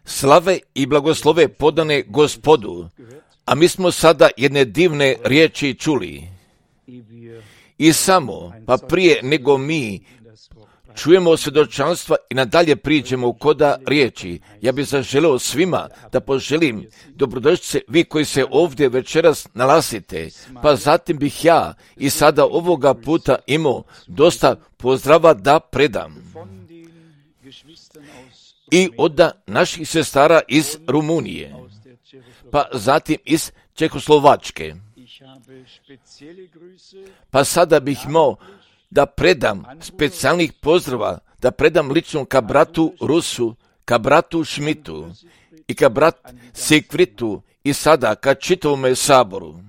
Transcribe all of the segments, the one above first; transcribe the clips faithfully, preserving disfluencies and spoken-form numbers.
Slave i blagoslove podane Gospodu, a mi smo sada jedne divne riječi čuli. I samo, pa prije nego mi čujemo svjedočanstva i nadalje priđemo koda riječi, ja bih zaželeo svima da poželim dobrodošlice vi koji se ovdje večeras nalazite, pa zatim bih ja i sada ovoga puta imao dosta pozdrava da predam. I od naših sestara iz Rumunije, pa zatim iz Čehoslovačke. Pa sada bih imao da predam specijalnih pozdrava, da predam lično ka bratu Rusu, ka bratu Šmitu i ka brat Sikvitu i sada ka čitavome saboru.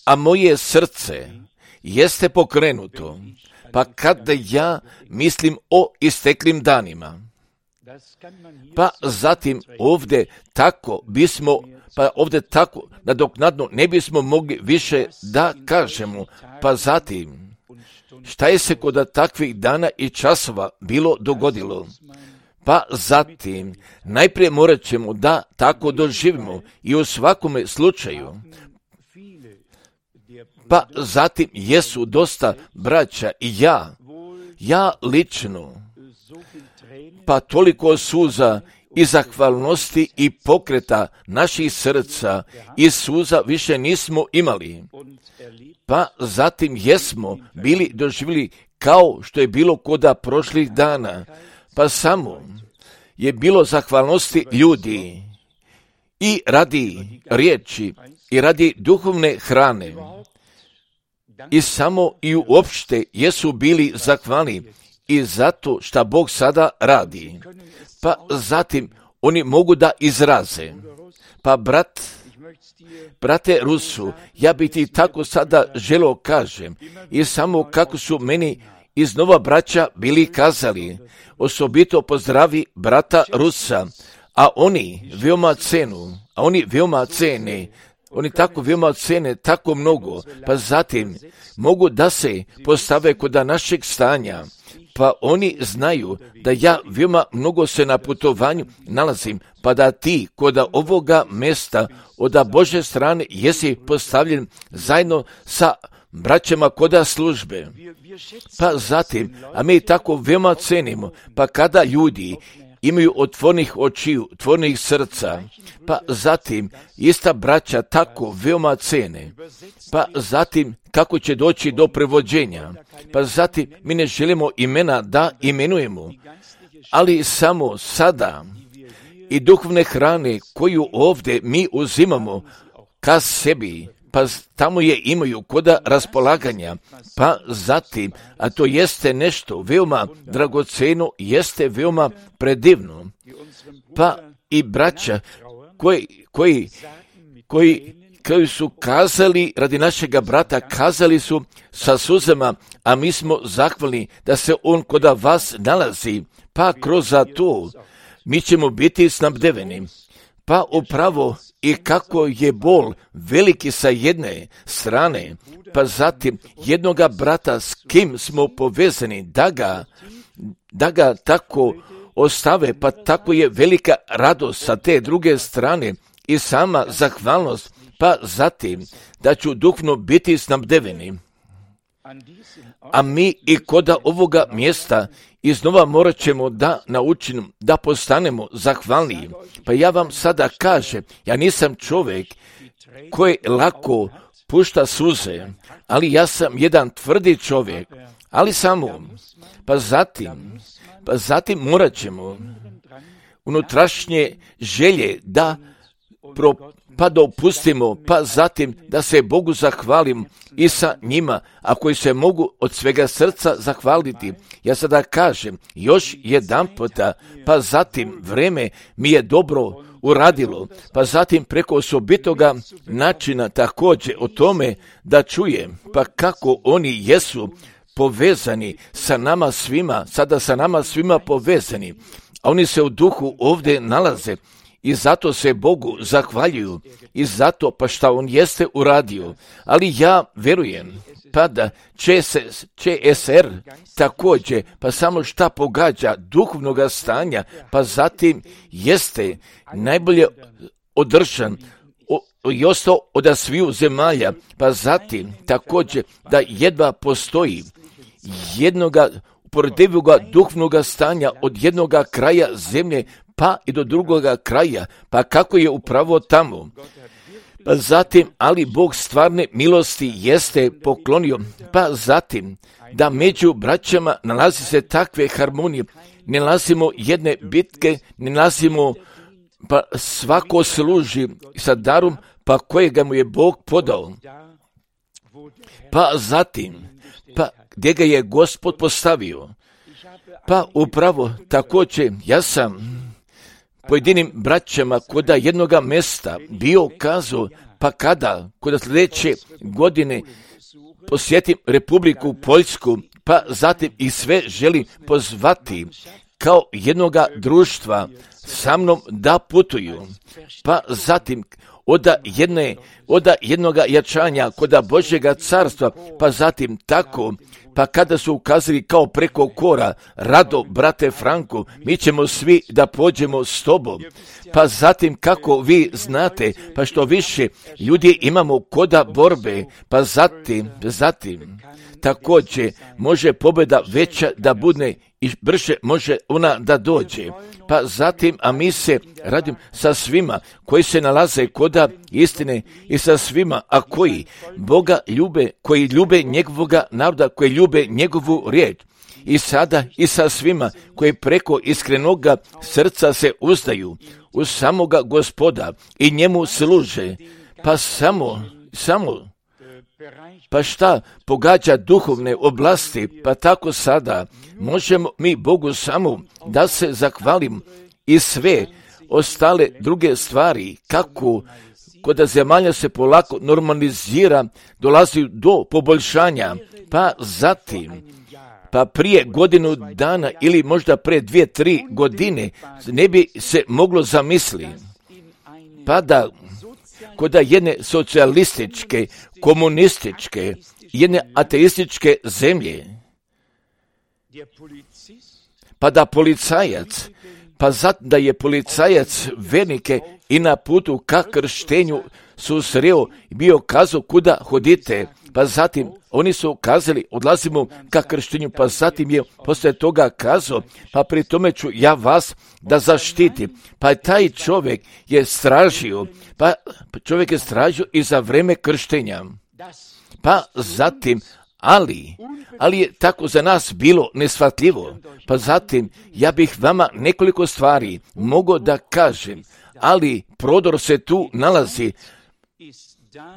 A moje srce jeste pokrenuto, pa kada ja mislim o isteklim danima. Pa zatim ovdje tako bismo, pa ovdje tako nadoknadno ne bismo mogli više da kažemo, pa zatim šta je se kod takvih dana i časova bilo dogodilo? Pa zatim, najprije morat ćemo da tako doživimo i u svakome slučaju. Pa zatim jesu dosta braća i ja, ja lično, pa toliko suza i zahvalnosti i pokreta naših srca i suza više nismo imali. Pa zatim jesmo bili doživjeli kao što je bilo koda prošlih dana, pa samo je bilo zahvalnosti ljudi i radi riječi i radi duhovne hrane. I samo i uopšte jesu bili zahvalni i zato šta Bog sada radi. Pa zatim oni mogu da izraze. Pa brat, brate Rusu, ja bi ti tako sada želeo kažem i samo kako su meni iz Nova braća bili kazali, osobito pozdravi brata Rusa, a oni veoma cenu, a oni veoma cene, oni tako veoma cene, tako mnogo, pa zatim mogu da se postave kod našeg stanja, pa oni znaju da ja veoma mnogo se na putovanju nalazim, pa da ti kod ovoga mjesta od Bože strane jesi postavljen zajedno sa braćama koda službe. Pa zatim, a mi tako veoma cenimo, pa kada ljudi imaju otvornih očiju, otvornih srca, pa zatim ista braća tako veoma cene, pa zatim kako će doći do prevođenja, pa zatim mi ne želimo imena da imenujemo, ali samo sada i duhovne hrane koju ovdje mi uzimamo ka sebi, pa tamo je imaju koda raspolaganja, pa zatim, a to jeste nešto veoma dragoceno, jeste veoma predivno, pa i braća koji, koji, koji, koji su kazali radi našega brata, kazali su sa suzama, a mi smo zahvalni da se on kod vas nalazi, pa kroz to mi ćemo biti snabdeveni. Pa upravo i kako je bol veliki sa jedne strane, pa zatim jednoga brata s kim smo povezani, da ga, da ga tako ostave, pa tako je velika radost sa te druge strane i sama zahvalnost, pa zatim da ću duhovno biti snabdeveni. A mi i koda ovoga mjesta iznova morat ćemo da naučimo, da postanemo zahvalniji. Pa ja vam sada kažem, ja nisam čovjek koji lako pušta suze, ali ja sam jedan tvrdi čovjek, ali samo, pa zatim, pa zatim morat ćemo unutrašnje želje da pro, pa da opustimo, pa zatim da se Bogu zahvalim i sa njima, a koji se mogu od svega srca zahvaliti. Ja sada kažem još jedan puta, pa zatim vreme mi je dobro uradilo, pa zatim preko osobitoga načina također o tome da čujem, pa kako oni jesu povezani sa nama svima, sada sa nama svima povezani, a oni se u duhu ovdje nalaze. I zato se Bogu zahvaljuju i zato pa šta on jeste uradio. Ali ja verujem pa da Č S R također, pa samo šta pogađa duhovnog stanja, pa zatim jeste najbolje održan i ostao od sviju zemalja, pa zatim također da jedva postoji jednoga uporedivoga duhovnoga stanja od jednoga kraja zemlje pa i do drugoga kraja, pa kako je upravo tamo. Pa zatim, ali Bog stvarne milosti jeste poklonio, pa zatim da među braćama nalazi se takve harmonije, ne nalazimo jedne bitke, ne nalazimo, pa svako služi sa darom, pa kojega mu je Bog podao. Pa zatim, pa gdje ga je Gospod postavio. Pa upravo također ja sam pojedinim braćama koda jednoga mjesta bio kazao, pa kada, koda sljedeće godine posjetim Republiku Poljsku, pa zatim i sve želim pozvati kao jednoga društva sa mnom da putuju, pa zatim oda jedne, oda jednoga jačanja koda Božjega carstva, pa zatim tako, pa kada su ukazali kao preko kora, rado, brate Franko, mi ćemo svi da pođemo s tobom. Pa zatim kako vi znate, pa što više ljudi imamo koda borbe, pa zatim, zatim, također može pobjeda veća da bude i brže može ona da dođe. Pa zatim, a mi se radim sa svima koji se nalaze koda istine i sa svima, a koji Boga ljube, koji ljube njegovoga naroda, koji ljube njegovu riječ. I sada i sa svima koji preko iskrenoga srca se uzdaju u samoga Gospoda i njemu služe. Pa samo, samo, pa šta pogađa duhovne oblasti, pa tako sada možemo mi Bogu samo da se zahvalim i sve ostale druge stvari, kako kod zemalja se polako normalizira, dolazi do poboljšanja, pa zatim, pa prije godinu dana ili možda pre dvije, tri godine ne bi se moglo zamisliti, pa da kod jedne socijalističke, komunističke, jedne ateističke zemlje, pa da policajac, pa zato da je policajac vernike i na putu ka krštenju susreo i bio kazao kuda hodite, pa zatim oni su kazali odlazimo ka krštenju, pa zatim je poslije toga kazao, pa pri tome ću ja vas da zaštitim. Pa taj čovjek je stražio, pa čovjek je stražio i za vreme krštenja. Pa zatim, ali, ali je tako za nas bilo neshvatljivo. Pa zatim, ja bih vama nekoliko stvari mogao da kažem, ali prodor se tu nalazi.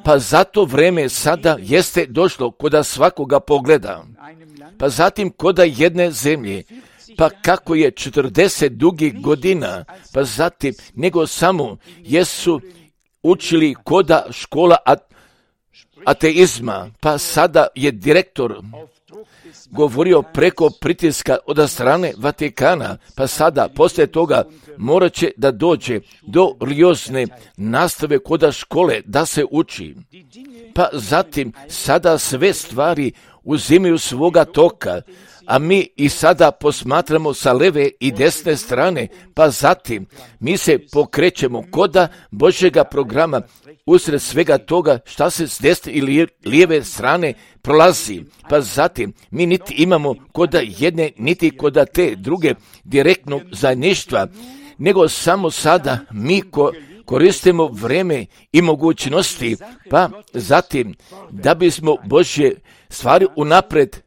Pa zato vreme sada jeste došlo koda svakoga pogleda. Pa zatim koda jedne zemlje, pa kako je četrdeset dugih godina, pa zatim nego samo jesu učili koda škola ateizma, pa sada je direktor govorio preko pritiska od strane Vatikana, pa sada poslije toga morat će da dođe do religiozne nastave koda škole da se uči. Pa zatim sada sve stvari uzimaju svoga toka, a mi i sada posmatramo sa leve i desne strane, pa zatim mi se pokrećemo koda Božjega programa usred svega toga šta se s desne ili lijeve strane prolazi. Pa zatim mi niti imamo koda jedne, niti koda te druge direktnog zajedništva, nego samo sada mi ko koristimo vreme i mogućnosti, pa zatim da bismo Božje stvari unapred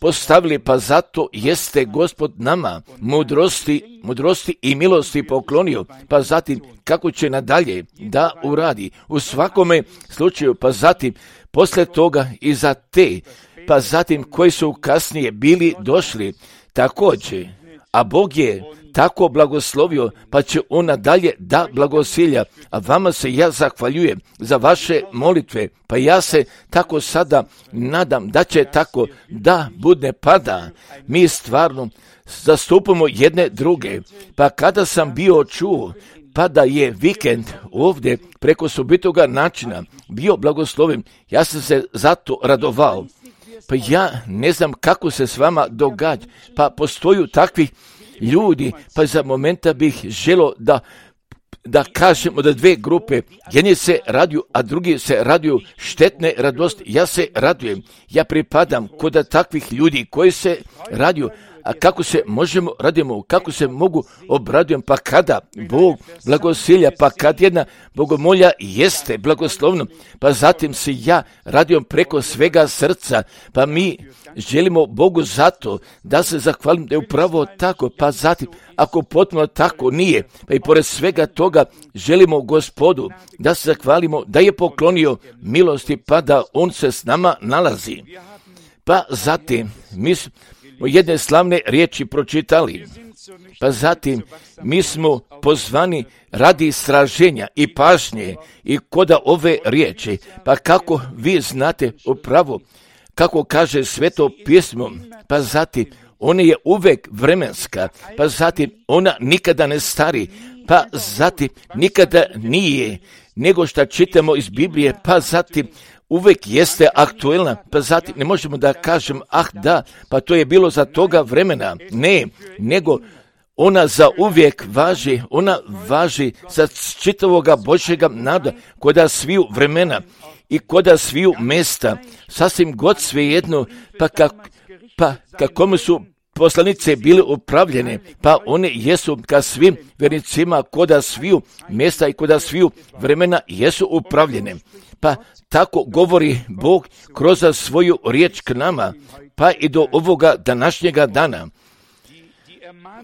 postavili, pa zato jeste Gospod nama mudrosti, mudrosti i milosti poklonio, pa zatim kako će nadalje da uradi u svakome slučaju, pa zatim posle toga i za te, pa zatim koji su kasnije bili došli također, a Bog je tako blagoslovio, pa će on nadalje da blagosilja, a vama se ja zahvaljujem za vaše molitve, pa ja se tako sada nadam da će tako da bude pada. Mi stvarno zastupamo jedne druge, pa kada sam bio čuo, pa da je vikend ovdje preko sobitoga načina bio blagosloven, ja sam se zato radovao. Pa ja ne znam kako se s vama događa, pa postoju takvi ljudi, pa za momenta bih želio da da kažemo da dve grupe, jedni se raduju, a drugi se raduju štetne radosti. Ja se radujem, ja pripadam kod takvih ljudi koji se raduju. A kako se možemo radimo, kako se mogu obradujem, pa kada Bog blagosilja, pa kad jedna bogomolja jeste blagoslovno, pa zatim se ja radujem preko svega srca, pa mi želimo Bogu zato da se zahvalim da je upravo tako, pa zatim ako potpuno tako nije, pa i pored svega toga želimo Gospodu da se zahvalimo da je poklonio milosti, pa da On se s nama nalazi. Pa zatim mi smo jedne slavne riječi pročitali, pa zatim mi smo pozvani radi istraženja i pažnje i koda ove riječi, pa kako vi znate upravo, kako kaže Sveto pismo, pa zatim ona je uvek vremenska, pa zatim ona nikada ne stari, pa zatim nikada nije, nego što čitamo iz Biblije, pa zatim uvek jeste aktuelna, pa zatim ne možemo da kažem, ah da, pa to je bilo za toga vremena. Ne, nego ona za uvijek važi, ona važi za čitavoga Božjega nada, koda sviju vremena i koda sviju mesta, sasvim god svejedno, pa, kak, pa kakome su poslanice bile upravljene, pa one jesu ka svim vernicima koda sviju mesta i koda sviju vremena jesu upravljene. Pa tako govori Bog kroz svoju riječ k nama, pa i do ovoga današnjega dana.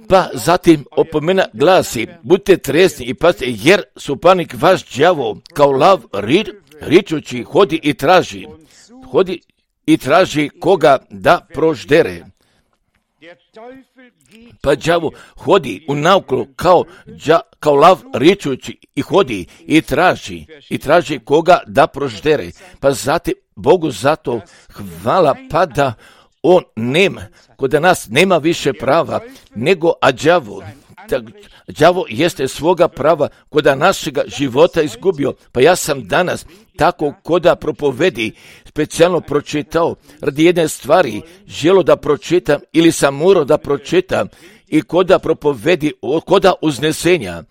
Pa zatim opomena glasi, budite trezni i pazite, jer suparnik vaš đavo kao lav ri, ričući hodi i traži, hodi i traži koga da proždere. Pa đavo hodi u naokolo kao, đa, kao lav ričući i hodi i traži, i traži koga da proždere. Pa zatim Bogu zato hvala, pa da On nema, kod nas nema više prava nego a đavo. Đavo jeste svoga prava koda našega života izgubio. Pa ja sam danas tako koda propovedi specijalno pročitao radi jedne stvari, želo da pročitam ili sam morao da pročitam i koda propovedi, koda uznesenja.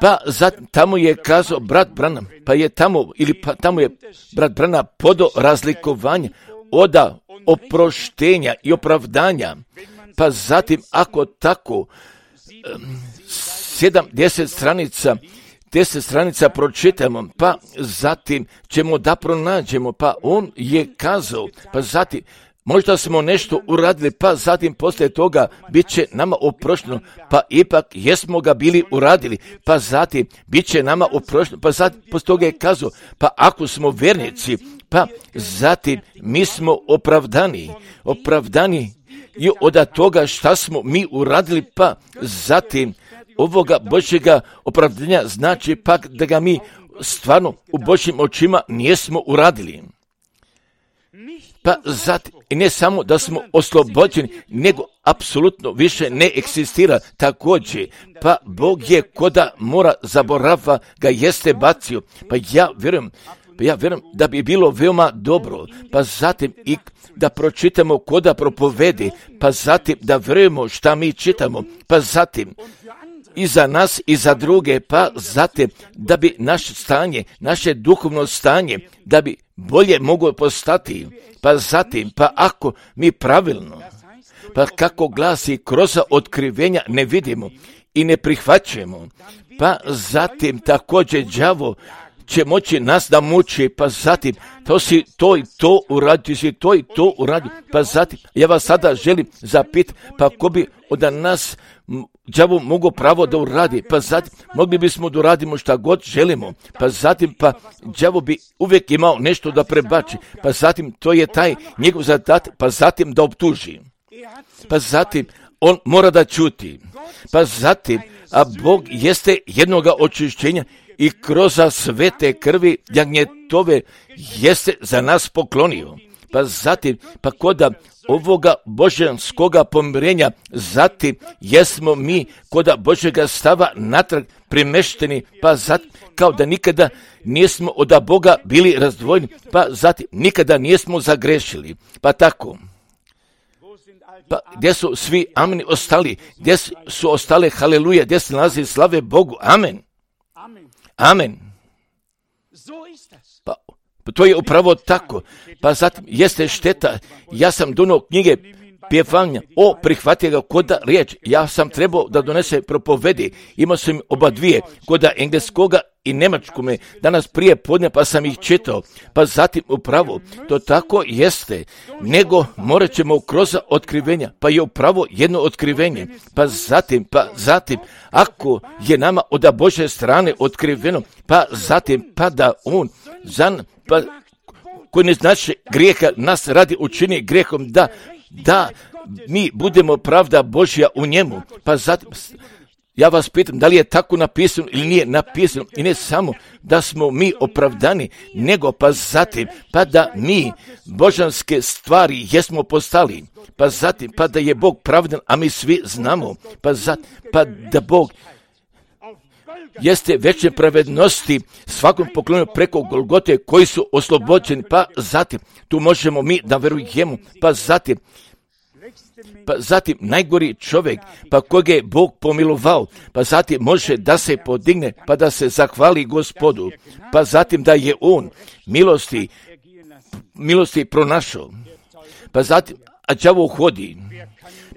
Pa zat, tamo je kazao brat Branham, pa je tamo, ili pa tamo je brat Branham podo razlikovanja oda oproštenja i opravdanja. Pa zatim ako tako sedam, deset stranica, deset stranica pročitamo, pa zatim ćemo da pronađemo, pa on je kazao, pa zatim možda smo nešto uradili, pa zatim poslije toga bit će nama oprošteno, pa ipak jesmo ga bili uradili, pa zatim bit će nama oprošteno, pa zatim poslije toga je kazao, pa ako smo vernici, pa zatim mi smo opravdani, opravdani i od toga šta smo mi uradili, pa zatim ovoga Božjega opravdanja znači pak da ga mi stvarno u Božjim očima nismo uradili. Pa zatim, i ne samo da smo oslobođeni, nego apsolutno više ne eksistira također. Pa Bog je koda mora zaborava ga jeste bacio. Pa ja vjerujem, pa ja vjerujem da bi bilo veoma dobro, pa zatim i da pročitamo koda propovedi, pa zatim da vjerujemo šta mi čitamo, pa zatim i za nas i za druge, pa zatim da bi naše stanje, naše duhovno stanje, da bi bolje moglo postati, pa zatim, pa ako mi pravilno, pa kako glasi kroz otkrivenja ne vidimo i ne prihvaćamo, pa zatim također đavo će moći nas da muči, pa zatim to si to i to uradio, si to i to uradio, pa zatim ja vas sada želim zapitati, pa ko bi od nas đavo mogo pravo da uradi, pa zatim mogli bismo da uradimo šta god želimo, pa zatim pa đavo bi uvijek imao nešto da prebači, pa zatim to je taj njegov zadatak, pa zatim da optuži, pa zatim on mora da čuti, pa zatim a Bog jeste jednoga očišćenja i kroz svete krvi jagnjetove jeste za nas poklonio. Pa zatim, pa koda ovoga božanskoga pomirenja, zatim jesmo mi koda Božjega stava natrag primešteni, pa zatim kao da nikada nismo od Boga bili razdvojeni, pa zatim nikada nismo zagrešili. Pa tako, pa gdje su svi ameni ostali, gdje su ostale haleluja, gdje se nalazi slave Bogu, amen. Amen. Pa to je upravo tako. Pa zatim jeste šteta, ja sam donio knjige pjevanja o prihvatio ga koda riječ, ja sam trebao da donese propovedi, imao sam oba dvije, koda engleskoga i njemačkome, danas prije podne pa sam ih čitao, pa zatim upravo, to tako jeste, nego morat ćemo kroz otkrivenja, pa je upravo jedno otkrivenje, pa zatim, pa zatim, ako je nama od Božje strane otkriveno, pa zatim, pa da on, zan, pa koji ne znači grijeha, nas radi učini grijehom, da, da mi budemo pravda Božja u njemu, pa zatim, ja vas pitam, da li je tako napisano ili nije napisano, i ne samo da smo mi opravdani, nego pa zatim, pa da mi božanske stvari jesmo postali, pa zatim, pa da je Bog pravdan, a mi svi znamo, pa zatim, pa da Bog jeste veće pravednosti svakom poklonju preko Golgote koji su oslobođeni, pa zatim, tu možemo mi da verujemo, pa zatim, pa zatim najgori čovjek, pa kojeg je Bog pomilovao, pa zatim može da se podigne, pa da se zahvali Gospodu, pa zatim da je on milosti, milosti pronašao, pa zatim, a đavo hodi,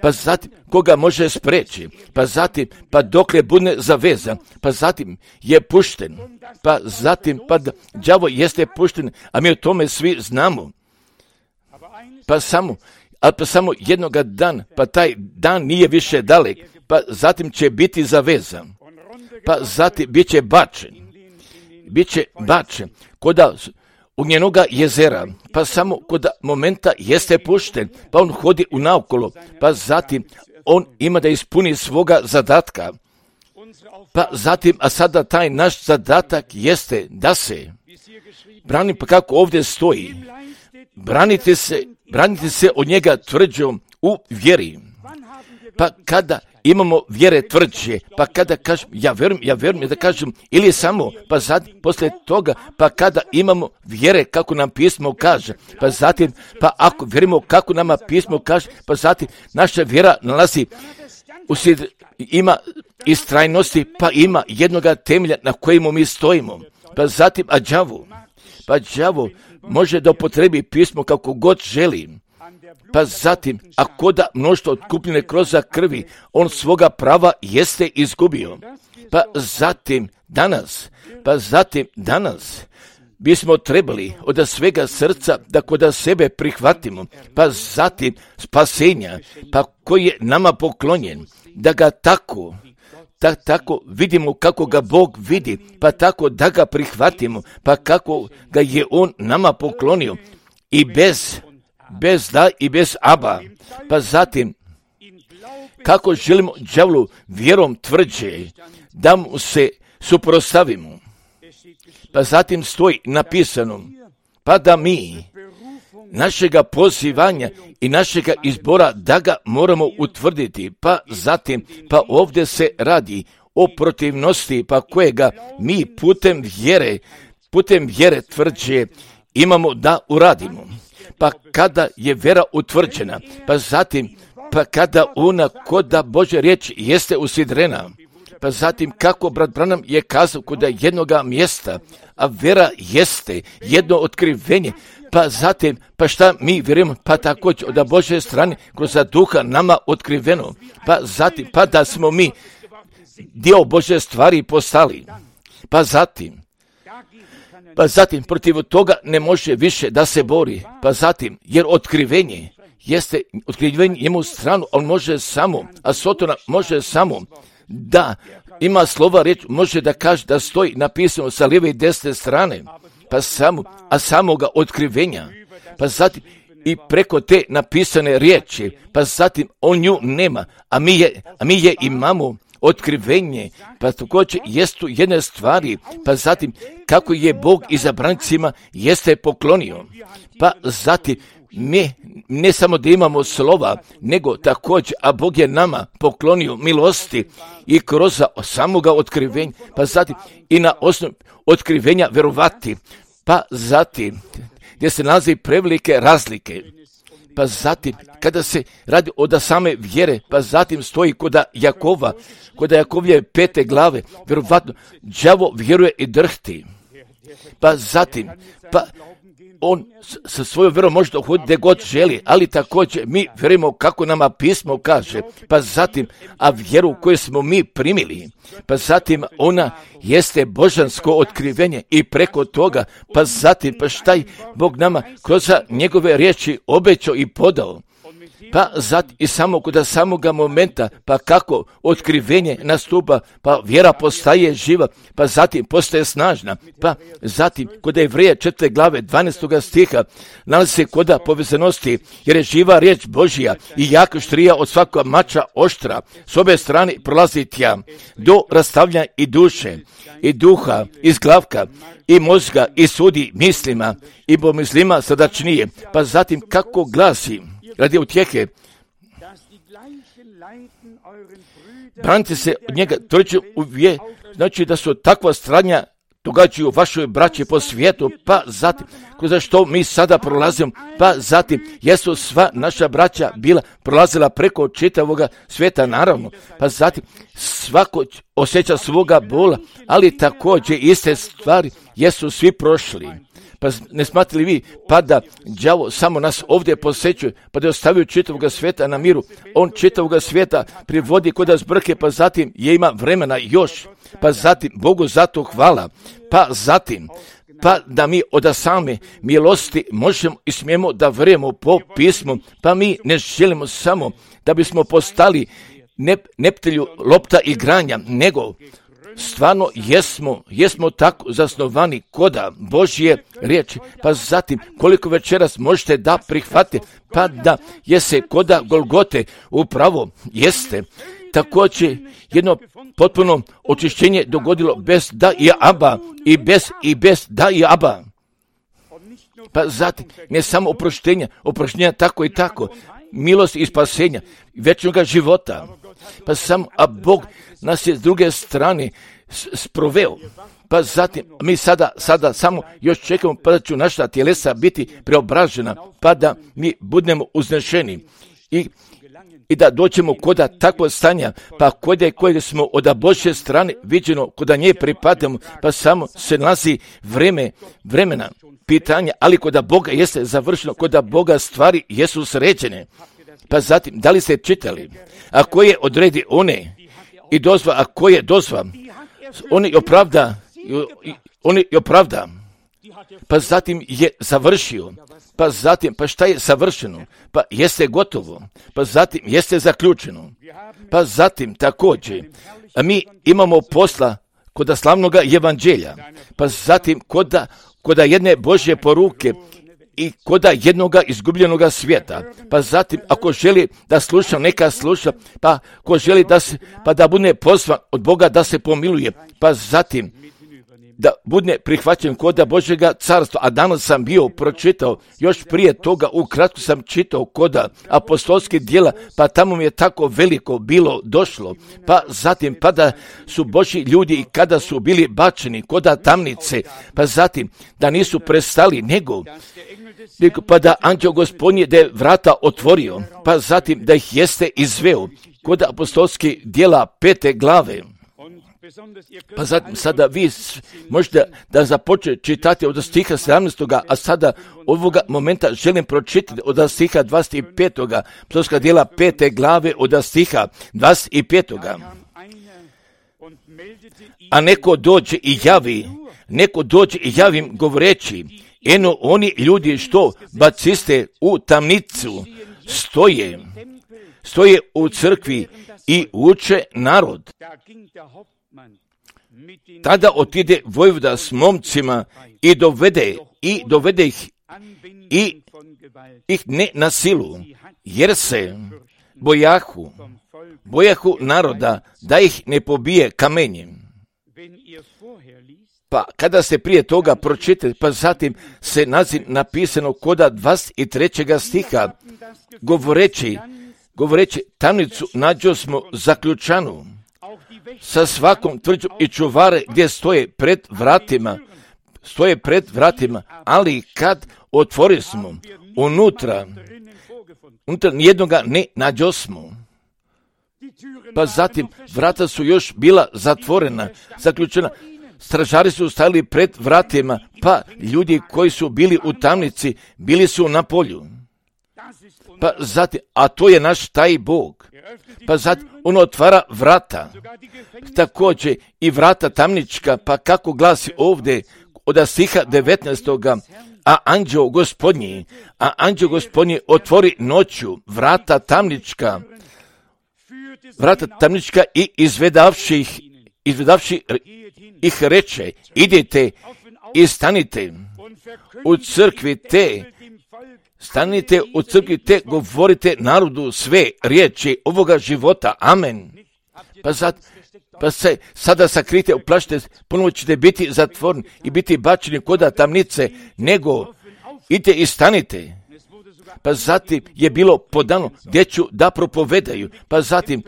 pa zatim koga može spreći, pa zatim, pa dokle bude zavezan, pa zatim je pušten, pa zatim, pa đavo jeste pušten, a mi o tome svi znamo, pa samo, ali pa samo jednoga dan, pa taj dan nije više dalek, pa zatim će biti zavezan, pa zatim bit će bačen, bit će bačen, koda ugnjenoga jezera, pa samo koda momenta jeste pušten, pa on hodi u naokolo, pa zatim on ima da ispuni svoga zadatka, pa zatim, a sada taj naš zadatak jeste da se brani, pa kako ovdje stoji, branite se, branite se od njega tvrđom u vjeri. Pa kada imamo vjere tvrđe, pa kada kažem, ja verujem, ja verujem, da kažem, ili samo, pa zatim, poslije toga, pa kada imamo vjere kako nam pismo kaže, pa zatim, pa ako vjerujemo kako nama pismo kaže, pa zatim, naša vjera nalazi, uslijed, ima istrajnosti, pa ima jednoga temelja na kojemu mi stojimo, pa zatim, a đavo, pa đavo može da upotrebi pismo kako god želi, pa zatim, ako da mnoštvo otkupljene kroz krvi, on svoga prava jeste izgubio, pa zatim danas, pa zatim danas, bismo trebali od svega srca da kod sebe prihvatimo, pa zatim spasenja, pa koji je nama poklonjen, da ga tako, da tako vidimo kako ga Bog vidi, pa tako da ga prihvatimo, pa kako ga je on nama poklonio, i bez bez da i bez aba, pa zatim kako želimo đavlu vjerom tvrđe da mu se suprotstavimo, pa zatim stoji napisano, pa da mi našega pozivanja i našega izbora da ga moramo utvrditi, pa zatim, pa ovdje se radi o protivnosti, pa kojega mi putem vjere, putem vjere tvrđe imamo da uradimo. Pa kada je vjera utvrđena, pa zatim, pa kada ona koda Božja riječ jeste usidrena, pa zatim kako brat Branham je kazao koda jednoga mjesta, a vjera jeste jedno otkrivenje, pa zatim, pa šta mi vjerujemo, pa također od Božje strane kroz duha nama otkriveno, pa zatim, pa da smo mi dio Božje stvari postali, pa zatim, Pa zatim, protiv toga ne može više da se bori. Pa zatim, jer otkrivenje jeste, otkrivenje njemu stranu, on može samo, a Sotona može samo da ima slova riječ, može da kaže da stoji napisano sa lijeve i desne strane, pa samo, a samoga otkrivenja, pa zatim i preko te napisane riječi, pa zatim on nju nema, a mi je, a mi je imamo otkrivenje, pa također jest tu jedne stvari, pa zatim kako je Bog izabrancima jeste poklonio, pa zatim mi ne samo da imamo slova, nego također, a Bog je nama poklonio milosti i kroz samoga otkrivenja, pa zatim i na osnovu otkrivenja verovati, pa zatim gdje se nalazi prevelike razlike, pa zatim kada se radi od same vjere, pa zatim stoji koda Jakova, koda Jakovlje pete glave, vjerovatno đavo vjeruje i drhti, pa zatim, pa on sa svojom vjerom može dohoditi gdje god želi, ali također mi vjerujemo kako nama pismo kaže, pa zatim, a vjeru koju smo mi primili, pa zatim ona jeste božansko otkrivenje i preko toga, pa zatim, pa šta je Bog nama kroz njegove riječi obećao i podao, pa zatim i samo kod samoga momenta, pa kako otkrivenje nastupa, pa vjera postaje živa, pa zatim postaje snažna, pa zatim kod Jevreja četvrte glave dvanaestog stiha nalazi se koda povezanosti, jer je živa riječ Božja i jaka štrija od svakog mača oštra, s obe strane prolazi tja, do rastavljanja i duše, i duha, i zglavka, i mozga, i sudi mislima, i pomislima srdačnije, pa zatim kako glasi, radi utjehe, branite se od njega, trojiću uvije, znači da su takva stranja događaju vašoj braći po svijetu, pa zatim, kroz što mi sada prolazimo, pa zatim, jesu sva naša braća bila prolazila preko čitavoga svijeta, naravno, pa zatim, svako osjeća svoga bola, ali također iste stvari jesu svi prošli. Pa ne smatrali vi, pa da đavo samo nas ovdje posjećuje, pa da je ostavio čitavoga svijeta na miru, on čitavoga svijeta privodi kod zbrke, pa zatim je ima vremena još, pa zatim Bogu zato hvala, pa zatim, pa da mi od same milosti možemo i smijemo da vjerujemo po pismu, pa mi ne želimo samo da bismo postali ne, neptelju lopta igranja, nego stvarno jesmo, jesmo tako zasnovani koda Božje riječi, pa zatim koliko večeras možete da prihvatite, pa da je se koda Golgote upravo jeste također jedno potpuno očišćenje dogodilo bez da i aba i bez i bez da i aba. Pa zatim ne samo oproštenja, oproštenja tako i tako, milost i spasenja, večnoga života. Pa samo, a Bog nas je s druge strane sproveo. Pa zatim, mi sada, sada samo još čekamo pa da će naša tjelesa biti preobražena, pa da mi budemo uznešeni i, i da doćemo koda takvog stanja, pa koda kojeg smo od Božje strane viđeno, koda nje pripadamo, pa samo se nalazi vreme, vremena, pitanja, ali koda Boga jeste završeno, koda Boga stvari jesu sređene. Pa zatim, da li ste čitali, a ko je odredi one i dozva, a ko je dozva, oni opravda, oni opravda, pa zatim je završio, pa zatim, pa šta je savršeno, pa jeste gotovo, pa zatim jeste zaključeno, pa zatim također, a mi imamo posla koda slavnoga evanđelja, pa zatim koda, koda jedne Božje poruke i koda jednoga izgubljenoga svijeta, pa zatim ako želi da sluša, neka sluša, pa ko želi da se, pa da bude pozvan od Boga da se pomiluje, pa zatim da bude prihvaćen koda Božjega carstva, a danas sam bio pročitao, još prije toga ukratko sam čitao koda apostolskih djela, pa tamo mi je tako veliko bilo došlo, pa zatim pa da su Božji ljudi i kada su bili bačeni koda tamnice, pa zatim da nisu prestali, nego pa da anđeo Gospodnji da je vrata otvorio, pa zatim da ih jeste izveo kod apostolskih djela pete glave. Pa zatim sada vi možete da započne čitati od stiha sedamnaestog. a sada ovoga momenta želim pročitati od stiha dvadeset petog. apostolska djela pete glave od stiha dvadeset petog. A neko dođe i javi, neko dođe i javim govoreći, eno oni ljudi što baciste u tamnicu stoje, stoje u crkvi i uče narod. Tada otide vojvoda s momcima i dovede, i dovede ih, i ih ne na silu, jer se bojahu, bojahu naroda da ih ne pobije kamenjem. Pa kada se prije toga pročitali, pa zatim se naziv napisano koda dvadeset trećeg stiha, govoreći, govoreći tamnicu nađo smo zaključanu sa svakom tvrđom i čuvare gdje stoje pred vratima, stoje pred vratima, ali kad otvori smo unutra, unutra nijednoga ne nađo smo. Pa zatim vrata su još bila zatvorena, zaključena. Stražari su stali pred vratima, pa ljudi koji su bili u tamnici bili su na polju. Pa zatim, a to je naš taj Bog. Pa zatim on otvara vrata, također i vrata tamnička, pa kako glasi ovdje od stiha devetnaestog. A anđeo gospodnji, a anđeo gospodnji otvori noću vrata tamnička, vrata tamnička i izvedavši ih, izvedavši ih reče, idite i stanite u crkvi te, stanite u crkvi te, govorite narodu sve riječi ovoga života. Amen. Pa, sad, pa se sada sakrite, uplašite, ponovo ćete biti zatvoreni i biti bačeni koda tamnice, nego idite i stanite. Pa zatim je bilo podano djeću da propovedaju, pa zatim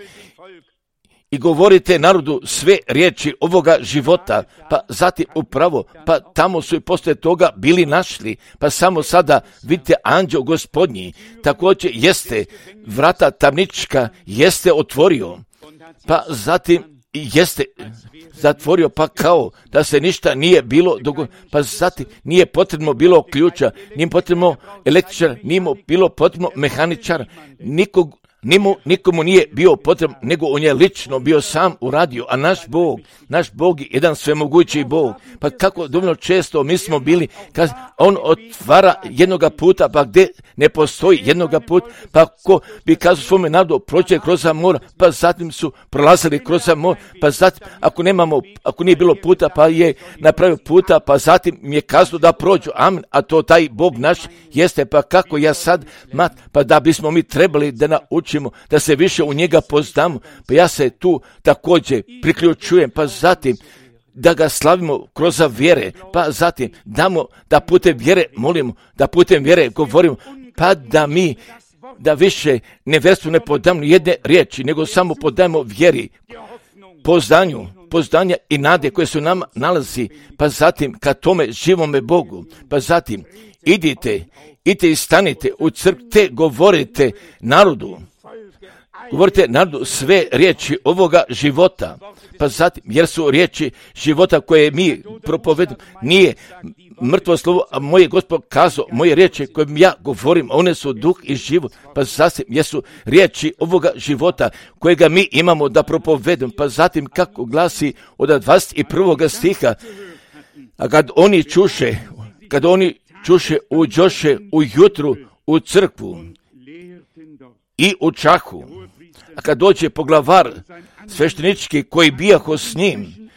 i govorite narodu sve riječi ovoga života, pa zatim upravo, pa tamo su i poslije toga bili našli, pa samo sada vidite anđeo gospodnji, također jeste vrata tamnička, jeste otvorio, pa zatim jeste zatvorio, pa kao da se ništa nije bilo dogodilo, pa zatim nije potrebno bilo ključa, nije potrebno električara, nije bilo potrebno mehaničara, nikog, Nimu, nikomu nije bio potreban, nego on je lično bio sam uradio, a naš Bog, naš Bog je jedan svemogući Bog. Pa kako dovoljno često mi smo bili, kad on otvara jednoga puta, pa gdje ne postoji jednoga puta, pa ko bi kazao svome narodu prođe kroz mora, pa zatim su prolazili kroz mora, pa zatim ako nemamo, ako nije bilo puta, pa je napravio puta, pa zatim mi je kazao da prođu, amen, a to taj Bog naš jeste, pa kako ja sad, mat, pa da bismo mi trebali da naučimo da se više u njega poznamo, pa ja se tu također priključujem, pa zatim da ga slavimo kroz vjere, pa zatim damo da putem vjere molimo, da putem vjere govorimo, pa da mi da više nevjerstvu ne podamo jedne riječi, nego samo podajemo vjeri, poznanju, poznanja i nade koje su nam nalazi, pa zatim ka tome živome Bogu, pa zatim idite, idite i stanite u crkvi te govorite narodu, govorite narodu sve riječi ovoga života, pa zatim, jer su riječi života koje mi propovedamo, nije mrtvo slovo, a moje Gospod kazao, moje riječi koje ja govorim, one su duh i život, pa zatim, jer su riječi ovoga života kojega mi imamo da propovedamo, pa zatim kako glasi od dvadeset prvog stiha, a kad oni čuše, kad oni čuše, uđoše ujutru u crkvu i u čahu, a kad dođe poglavar sveštenički koji bijaho s njim,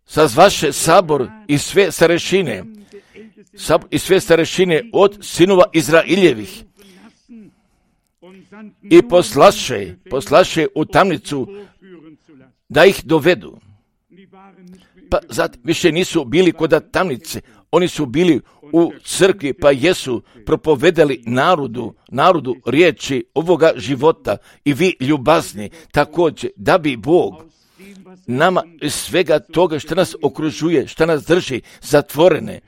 sazvaše sabor i sve starešine, sabor i sve starešine od sinova Izraeljevih i poslaše, poslaše u tamnicu da ih dovedu. Pa zatim više nisu bili kod tamnice, oni su bili u crkvi, pa jesu propovedali narodu, narodu riječi ovoga života i vi ljubazni također, da bi Bog nama iz svega toga što nas okružuje, što nas drži zatvorene,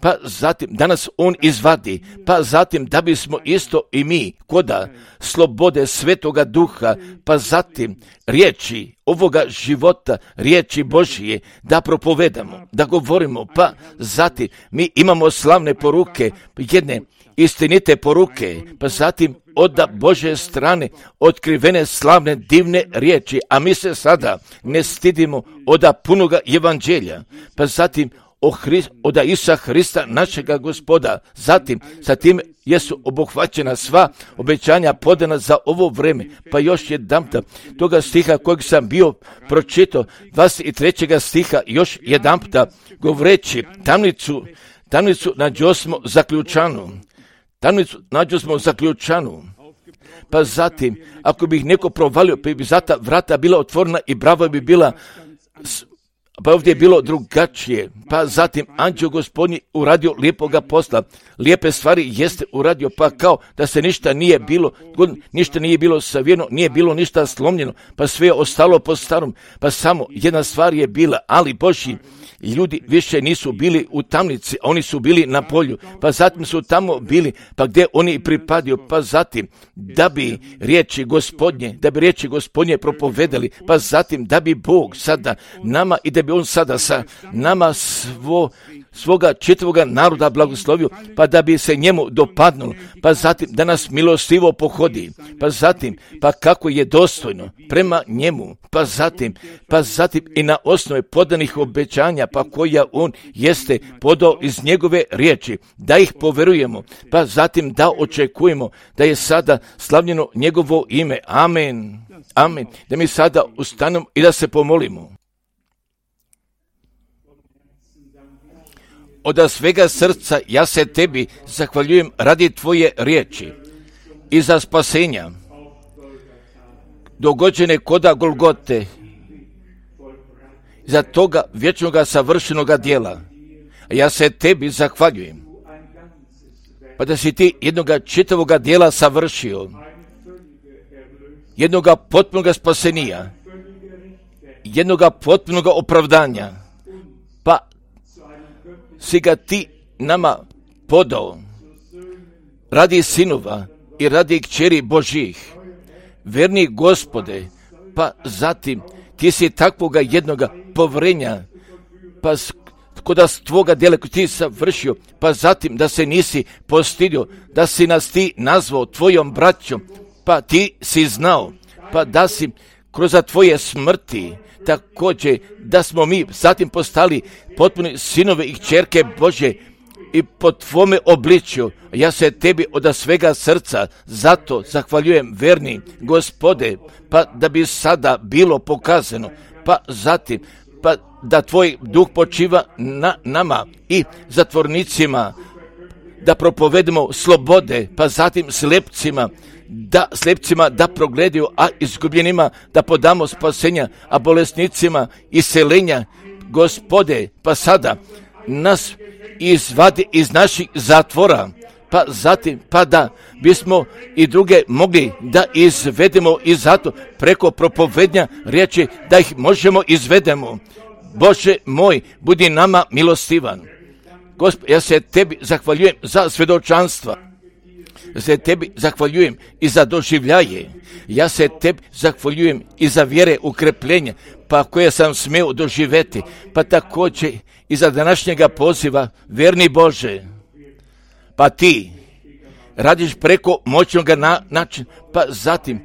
pa zatim da nas on izvadi, pa zatim da bismo isto i mi koda slobode Svetoga Duha, pa zatim riječi ovoga života, riječi Božije, da propovedamo, da govorimo, pa zatim mi imamo slavne poruke, jedne istinite poruke, pa zatim od Božje strane otkrivene slavne divne riječi, a mi se sada ne stidimo od punoga evanđelja, pa zatim o Hrist, od Isusa Hrista našega Gospoda. Zatim, sa tim jesu obuhvaćena sva obećanja podana za ovo vrijeme. Pa još jedanputa toga stiha kojeg sam bio pročitao, dvadeset trećeg stiha, još jedanputa govoreći, tamnicu, tamnicu nađosmo zaključanu. Tamnicu nađosmo zaključanu. Pa zatim, ako bi ih neko provalio, pa bi zata vrata bila otvorena i brava bi bila pa ovdje je bilo drugačije, pa zatim anđeo Gospodnji uradio lijepoga posla, lijepe stvari jeste uradio, pa kao da se ništa nije bilo, ništa nije bilo savijeno, nije bilo ništa slomljeno, pa sve je ostalo po starom, pa samo jedna stvar je bila, ali Božji ljudi više nisu bili u tamnici, oni su bili na polju, pa zatim su tamo bili, pa gdje oni pripadio, pa zatim da bi riječi Gospodnje, da bi riječi Gospodnje propovedali, pa zatim da bi Bog sada nama i da bi on sada sa nama svo, svoga čitavoga naroda blagoslovio, pa da bi se njemu dopadnulo, pa zatim da nas milostivo pohodi, pa zatim pa kako je dostojno prema njemu, pa zatim pa zatim i na osnovi podanih obećanja, pa koja on jeste podao iz njegove riječi, da ih poverujemo, pa zatim da očekujemo da je sada slavljeno njegovo ime. Amen. Amen. Da mi sada ustanemo i da se pomolimo. Od svega srca ja se tebi zahvaljujem radi tvoje riječi i za spasenja dogođene koda Golgote, za toga vječnoga savršenoga djela. Ja se tebi zahvaljujem, pa da si ti jednoga čitavoga djela savršio, jednoga potpunoga spasenija, jednoga potpunoga opravdanja, pa si ga ti nama podao radi sinova i radi kćeri Božjih. Verni Gospode, pa zatim ti si takvoga jednoga povrenja, pa koda s tvoga djela koji ti savršio, pa zatim da se nisi postidio, da si nas ti nazvao tvojom braćom, pa ti si znao, pa da si kroz tvoje smrti također da smo mi zatim postali potpuni sinove i kćerke Božje i po tvome obličju. Ja se tebi od svega srca zato zahvaljujem, verni Gospode, pa da bi sada bilo pokazano, pa zatim pa da tvoj duh počiva na nama i zatvornicima, da propovedemo slobode, pa zatim slepcima, da slepcima da progledaju, a izgubljenima da podamo spasenja, a bolesnicima iseljenja. Gospode, pa sada nas izvadi iz naših zatvora, pa zatim pa da bismo i druge mogli da izvedemo iz zato preko propovednja riječi, da ih možemo izvedemo. Bože moj, budi nama milostivan. Gospod, ja se tebi zahvaljujem za svjedočanstva. Ja se tebi zahvaljujem i za doživljaje. Ja se tebi zahvaljujem i za vjere ukrepljenja, pa koje sam smio doživjeti, pa također i za današnjega poziva, verni Bože. Pa ti radiš preko moćnoga na, načina, pa zatim,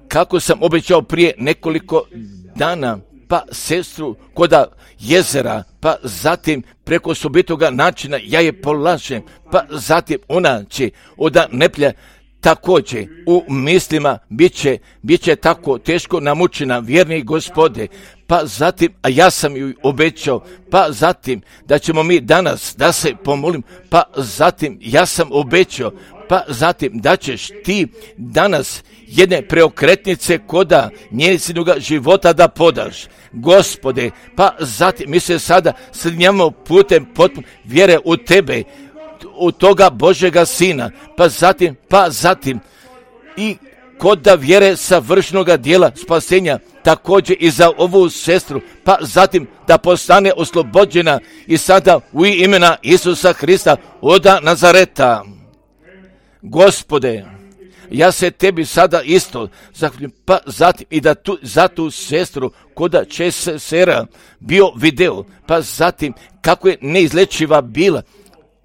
kako sam obećao prije nekoliko dana, pa sestru koda jezera, pa zatim preko sobitoga načina ja je polažem, pa zatim ona će od neplja također u mislima bit će, bit će tako teško namučena, vjerni Gospode, pa zatim, a ja sam ju obećao, pa zatim da ćemo mi danas da se pomolim, pa zatim ja sam obećao, pa zatim da ćeš ti danas jedne preokretnice koda njezinoga života da podaš. Gospode, pa zatim mi se sada slinjamo putem potpuno vjere u tebe, u toga Božjega Sina, pa zatim, pa zatim i koda vjere savršenoga djela spasenja, također i za ovu sestru, pa zatim da postane oslobođena i sada u imena Isusa Hrista od Nazareta. Gospode, ja se tebi sada isto zahvaljujem, pa zatim i da tu, za tu sestru koda će se sera bio video, pa zatim kako je neizlečiva bila,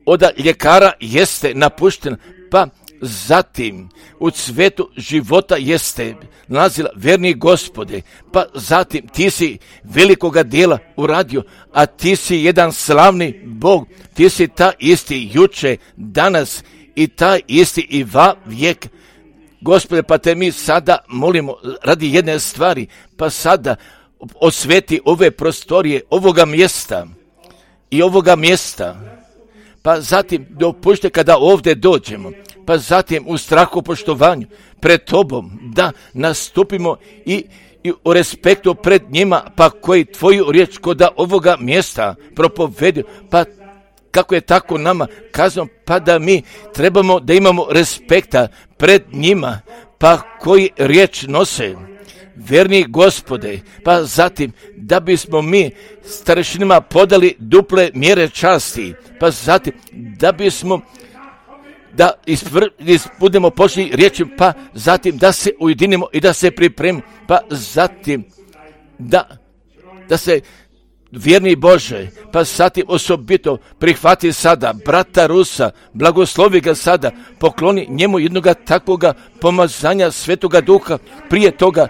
od ljekara jeste napuštena, pa zatim u cvetu života jeste nalazila, verni Gospode, pa zatim ti si velikoga djela uradio, a ti si jedan slavni Bog, ti si ta isti juče, danas i taj isti i va vijek. Gospode, pa te mi sada molimo radi jedne stvari, pa sada osveti ove prostorije, ovoga mjesta i ovoga mjesta, pa zatim dopušte kada ovdje dođemo, pa zatim u strahu poštovanju pred tobom da nastupimo i i o respektu pred njima, pa koji tvoju riječ koda ovoga mjesta propovedu, pa kako je tako nama kazano, pa da mi trebamo da imamo respekta pred njima, pa koji riječ nose. Verni Gospode, pa zatim da bismo mi starešinima podali duple mjere časti, pa zatim da bismo da ispr- budemo počeli riječi, pa zatim da se ujedinimo i da se pripremimo, pa zatim da, da se vjerni Bože, pa zatim osobito prihvati sada brata Rusa, blagoslovi ga sada, pokloni njemu jednoga takvoga pomazanja Svetoga Duha, prije toga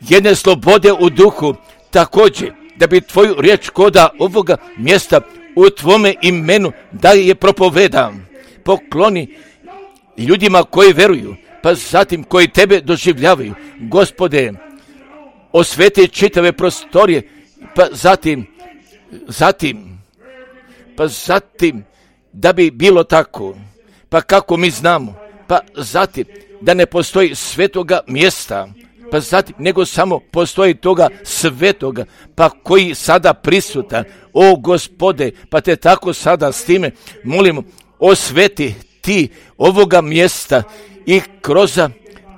jedne slobode u duhu, također da bi tvoju riječ koda ovoga mjesta u tvome imenu da je propovedam. Pokloni ljudima koji veruju, pa zatim koji tebe doživljavaju. Gospode, osveti čitave prostorije, pa zatim, zatim, pa zatim da bi bilo tako, pa kako mi znamo, pa zatim da ne postoji svetoga mjesta, pa zatim nego samo postoji toga svetoga, pa koji sada prisutan. O Gospode, pa te tako sada s time molimo, osveti ti ovoga mjesta i kroz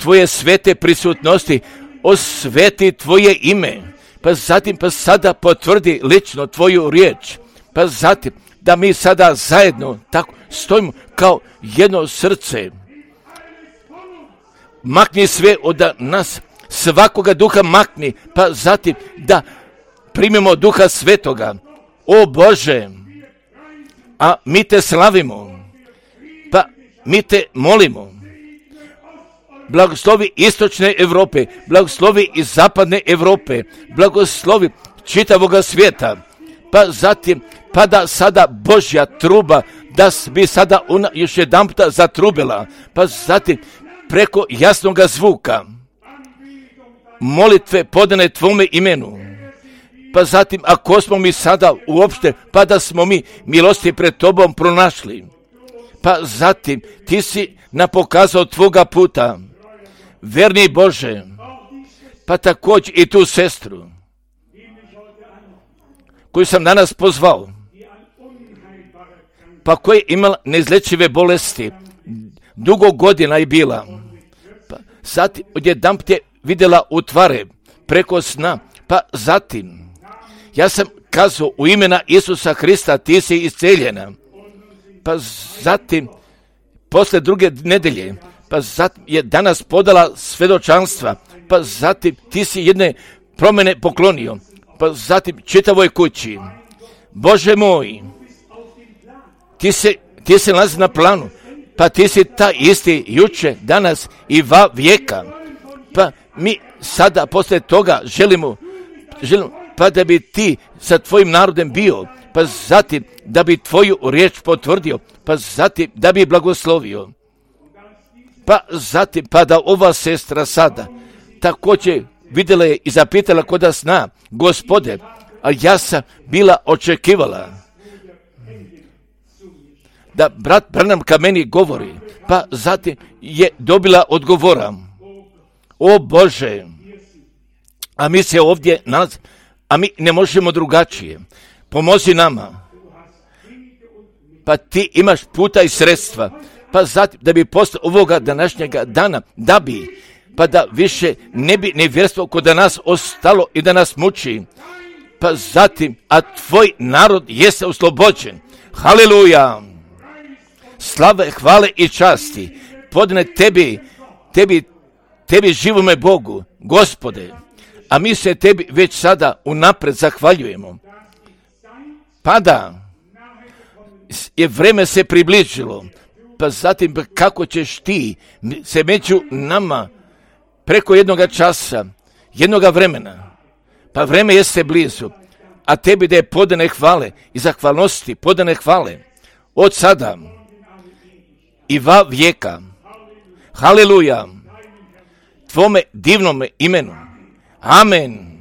tvoje svete prisutnosti osveti tvoje ime, pa zatim pa sada potvrdi lično tvoju riječ, pa zatim da mi sada zajedno tako stojimo kao jedno srce. Makni sve od nas, svakoga duha makni, pa zatim da primimo Duha Svetoga. O Bože, a mi te slavimo, pa mi te molimo. Blagoslovi istočne Europe, blagoslovi iz zapadne Europe, blagoslovi čitavoga svijeta, pa zatim pa da sada Božja truba da bi sada ona još jedan puta zatrubila, pa zatim preko jasnoga zvuka molitve podane tvome imenu, pa zatim ako smo mi sada uopšte, pa da smo mi milosti pred tobom pronašli, pa zatim ti si nam pokazao tvoga puta, verni Bože, pa također i tu sestru koju sam danas pozvao, pa koja je imala neizlečive bolesti, dugo godina je bila, pa zatim odjedanput je vidjela utvare preko sna, pa zatim ja sam kazao u imena Isusa Hrista ti si isceljena, pa zatim posle druge nedelje, pa zatim je danas podala svjedočanstva, pa zatim ti si jedne promjene poklonio, pa zatim čitavoj kući. Bože moj, ti se, ti se nalazi na planu, pa ti si ta isti juče, danas i va vijeka, pa mi sada posle toga želimo, želimo pa da bi ti sa tvojim narodom bio, pa zatim da bi tvoju riječ potvrdio, pa zatim da bi blagoslovio, pa zatim pa da ova sestra sada također vidjela je i zapitala koda sna, Gospode, a ja sam bila očekivala da brat Branham ka meni govori, pa zatim je dobila odgovora. O Bože, a mi se ovdje nalazimo, a mi ne možemo drugačije. Pomozi nama. Pa ti imaš puta i sredstva, pa zatim da bi posle ovoga današnjega dana, da bi, pa da više ne bi nevjerstvo kod nas ostalo i da nas muči, pa zatim, a tvoj narod jeste oslobođen. Haleluja! Slave, hvale i časti podne tebi, tebi, tebi živome Bogu, Gospode, a mi se tebi već sada unapred zahvaljujemo. Pa da, je vreme se približilo, pa zatim kako ćeš ti se među nama preko jednoga časa, jednoga vremena, pa vreme jeste blizu, a tebi da je podane hvale i zahvalnosti podane hvale od sada i va vijeka. Haleluja, tvome divnome imenu. Amen.